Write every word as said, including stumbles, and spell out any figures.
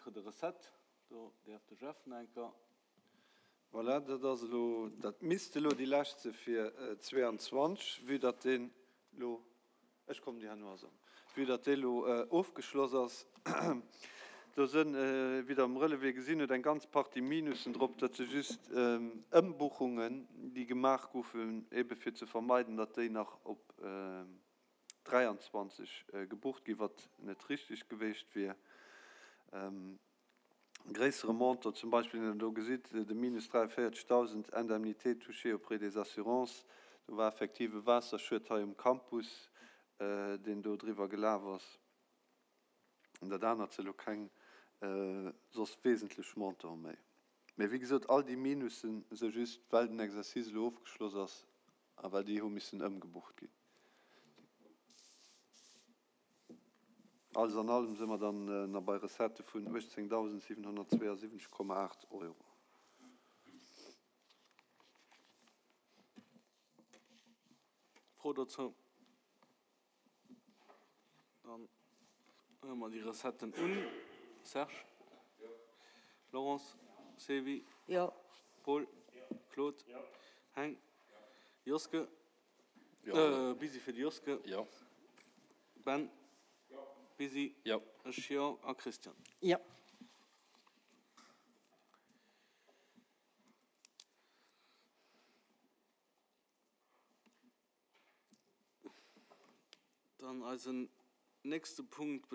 Titre de recettes. Do däerf de Jeff nach eng Kéier. Voilà, dat ass elo, dat misst elo déi lescht si fir zwee an zwanzeg, vue datt deen elo, ech kommen déi herno erëm, vue datt dee elo ofgeschloss ass. Do sënn, wéi Der am Relevé gesinn hutt, eng ganz Partie Minussen drop, dat si just Ëmbuchungen, déi gemaach goufen, ebe fir ze vermeiden, datt déi nach op dräianzwanzeg gebucht ginn, wat net richteg gewiescht wier. Gréissere Montant zum Beispill, deen Der do gesitt, de minus dräianvéierzegdausend Indemnité touchée auprès des assurances, do war effektiv e Waasserschued hei um Campus, deen do driwwer gelaf ass. Dat anert si lo keng soss wesentlech Montant méi. Mee wéi gesot, all déi Minussen si just, well den Exercice elo ofgeschloss ass a well déi hu missen ëmgebucht ginn. Alles an allem si mer dann nach bei Recettë vun uechtzéngdausendsiwenhonnertzweeasiwwenzeg Komma aacht Euro. Fro dozou? Dann huele mer déi Recetten un. Serge? Jo. Laurence? Sylvie? Jo. Paul? Jo. Claude? Jo. Heng? Joske? Jo. Busy fir de Joske. Jo. Ben? Jo. Busy? Jo. Ech jo. A Christian? Jo. Dann eisen nächste Punkt.